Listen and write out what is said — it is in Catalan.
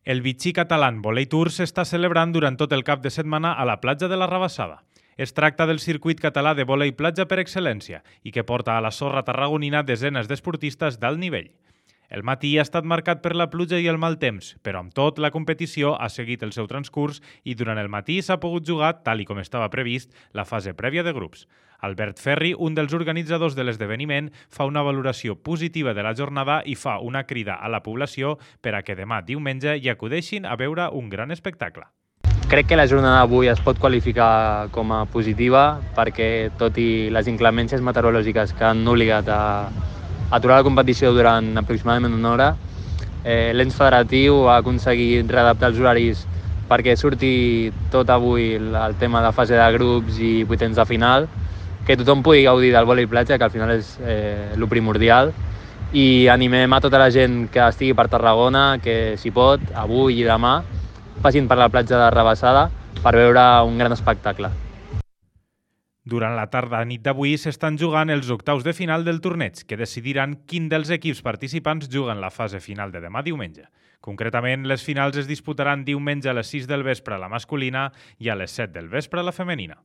El Vichy Catalán Volley Tour s'està celebrant durant tot el cap de setmana a la platja de la Rabassada. Es tracta del circuit català de vòlei platja per excel·lència i que porta a la sorra tarragonina desenes d'esportistes d'alt nivell. El matí ha estat marcat per la pluja i el mal temps, però amb tot la competició ha seguit el seu transcurs i durant el matí s'ha pogut jugar, tal i com estava previst, la fase prèvia de grups. Albert Ferri, un dels organitzadors de l'esdeveniment, fa una valoració positiva de la jornada i fa una crida a la població per a que demà diumenge hi acudeixin a veure un gran espectacle. Crec que la jornada d'avui es pot qualificar com a positiva perquè, tot i les inclemències meteorològiques que han obligat a aturar la competició durant aproximadament una hora, l'ens federatiu ha aconseguit readaptar els horaris perquè surti tot avui el tema de fase de grups i vuitens de final, que tothom pugui gaudir del vòlei platja, que al final és el primordial, i animem a tota la gent que estigui per Tarragona que, si pot, avui i demà, passin per la platja de Rabassada per veure un gran espectacle. Durant la tarda-nit d'avui s'estan jugant els octaus de final del torneig, que decidiran quin dels equips participants juguen la fase final de demà diumenge. Concretament, les finals es disputaran diumenge a les 6 del vespre a la masculina i a les 7 del vespre a la femenina.